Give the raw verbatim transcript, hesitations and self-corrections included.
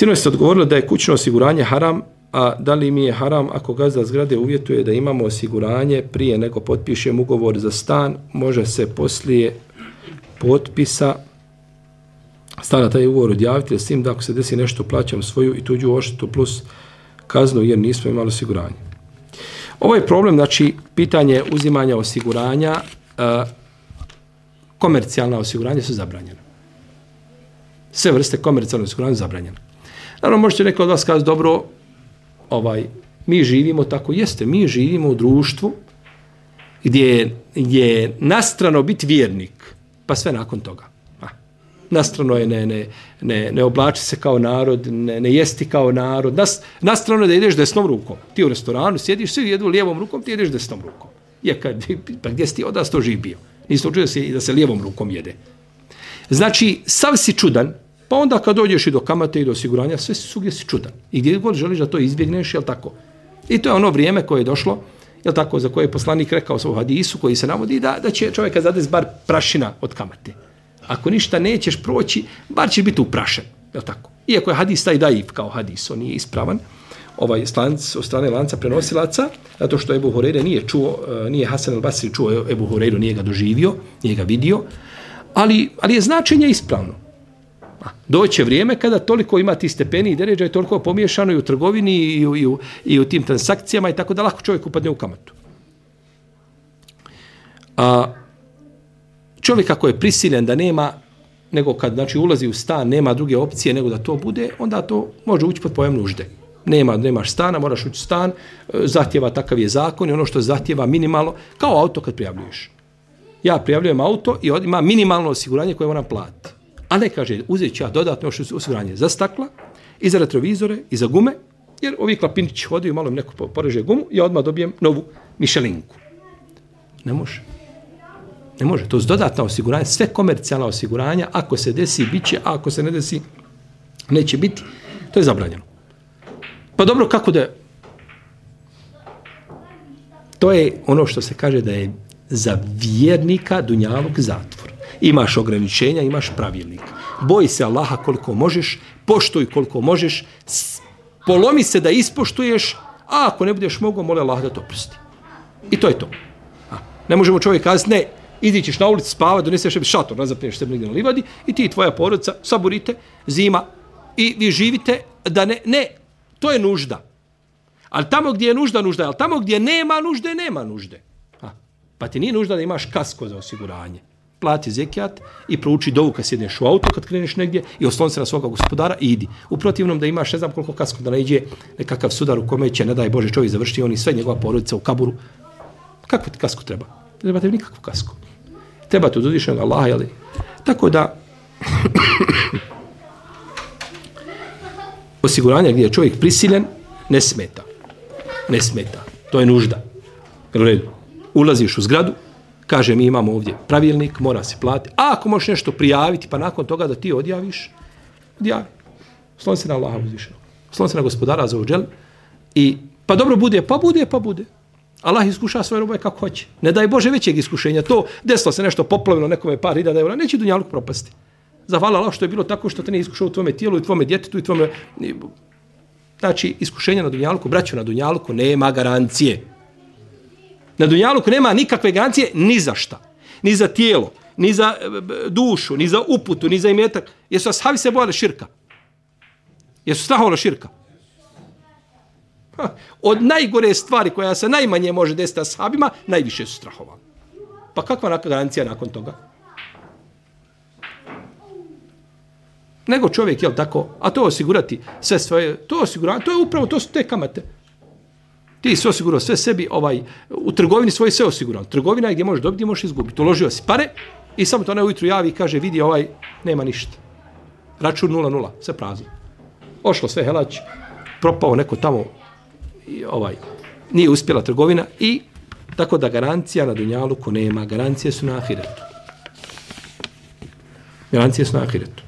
Sinoć ste odgovorili da je kućno osiguranje haram, a da li mi je haram ako gazda zgrade uvjetuje da imamo osiguranje prije nego potpišemo ugovor za stan, može se poslije potpisa stana taj ugovor odjaviti, s tim da ako se desi nešto plaćam svoju i tuđu odštetu plus kaznu jer nismo imali osiguranje. Ovo je problem, znači, pitanje uzimanja osiguranja, uh, komercijalna osiguranja su zabranjena. Sve vrste komercijalnog osiguranja su zabranjene. Naravno, možete neko od vas kazati, dobro, ovaj, mi živimo tako, jeste, mi živimo u društvu gdje je nastrano biti vjernik, pa sve nakon toga. A, nastrano je ne, ne, ne, ne oblači se kao narod, ne, ne jesti kao narod, Nas, nastrano je da ideš desnom rukom. Ti u restoranu sjediš, svi jedu lijevom rukom, ti ideš desnom rukom. Je, kad, pa gdje si ti odas to živ bio? Nisi učio da se, da se lijevom rukom jede. Znači, sav si čudan, pa onda kad dođeš i do kamate i do osiguranja, sve si svugdje si čudan. I gdje god želiš da to izbjegneš, jel tako? I to je ono vrijeme koje je došlo, jel tako, za koje je poslanik rekao u hadisu, koji se navodi da, da će čovjeka zadesi bar prašina od kamate. Ako ništa nećeš proći, bar ćeš biti uprašen, jel tako? Iako je hadis taj daif kao hadis, on nije ispravan, ovaj slanc od strane lanca prenosilaca, zato što Ebu Hureyre nije čuo, nije Hasan al-Basri čuo Ebu Hureyru, nije ga doživio, nije ga vidio, ali, ali je značenje ispravno. Doće vrijeme kada toliko ima ti stepeni i deređa i toliko pomiješano i u trgovini i u, i, u, i u tim transakcijama i tako da lako čovjek upadne u kamatu. A čovjek ako je prisiljen da nema, nego kad znači, ulazi u stan, nema druge opcije nego da to bude, onda to može ući pod pojam nužde. Nema, nemaš stana, moraš ući u stan, zahtjeva takav je zakon i ono što zahtjeva minimalno, kao auto kad prijavljuješ. Ja prijavljujem auto i ima minimalno osiguranje koje moram platiti. A ne kaže, uzet ću ja dodatno osiguranje za stakla, i za retrovizore, i za gume, jer ovi klapinići hodaju, malo im neko poreže gumu, ja odmah dobijem novu Michelinku. Ne može. Ne može. To je dodatna osiguranje, sve komercijalna osiguranja, ako se desi, bit će, a ako se ne desi, neće biti. To je zabranjeno. Pa dobro, kako da... To je ono što se kaže da je za vjernika dunjaluk zatvor. Imaš ograničenja, imaš pravilnik. Boji se Allaha koliko možeš, poštuj koliko možeš, polomi se da ispoštuješ, a ako ne budeš mogao, moli Allah da to oprosti. I to je to. A, ne možemo čovjek kazati, ne, idi ćeš na ulicu spavati, doneseš sebi šator, nazapneš sebi negdje na livadi i ti i tvoja porodica saborite, zima i vi živite da ne, ne, to je nužda. Ali tamo gdje je nužda, nužda, ali tamo gdje nema nužde, nema nužde. A, pa ti nije nužda da imaš kasko za osiguranje. Plati zekijat i prouči dovu kad sjedneš u auto, kad kreneš negdje i osloni se na svoga gospodara i idi. U protivnom da imaš ne znam koliko kasko da ne iđe nekakav sudar u kome će, ne daj Bože, čovjek završiti on i sve njegova porodica u kaburu. Kako ti kasko treba? Ne treba tebi nikakvu kasku. Treba ti od uzvišenog Allaha, jeli? Tako da osiguranje gdje je čovjek prisiljen ne smeta. Ne smeta. To je nužda. Ulaziš u zgradu, kaže, mi imamo ovdje pravilnik, mora se platiti. A ako možeš nešto prijaviti, pa nakon toga da ti odjaviš, odjavi. Slon se na Allaha uzvišenog. Slon se na gospodara za uđel. I, pa dobro bude, pa bude, pa bude. Allah iskuša svoje roboje kako hoće. Ne daj Bože većeg iskušenja. To desilo se nešto poplavilo nekome par hiljada eura, neće dunjaluk propasti. Zahvala Allah što je bilo tako što te ne iskušao u tvome tijelu i tvome djetetu i tvome... Znači, iskušenja na dunjaluku, braćo, na dunjaluku nema garancije. Na dunjaluku nema nikakve garancije ni za šta. Ni za tijelo, ni za dušu, ni za uputu, ni za imetak. Jesu ashabi se bojali širka? Jesu strahovali širka? Ha, od najgore stvari koja se najmanje može desiti ashabima, najviše su strahovali. Pa kakva garancija nakon toga? Nego čovjek, jel tako, a to osigurati sve svoje, to osigurati, to je upravo, to su te kamate. Ti si osigurao sve sebi, ovaj, u trgovini svoje sve osigurao. Trgovina je gdje možeš dobiti, gdje možeš izgubiti. Uložio si pare i samo to ne ujutru javi i kaže, vidi, ovaj, nema ništa. Račun nula nula, sve prazno. Ošlo sve helać, propao neko tamo, i, ovaj, nije uspjela trgovina i tako da garancija na dunjaluku nema. Garancije su na ahiretu. Garancije su na ahiretu.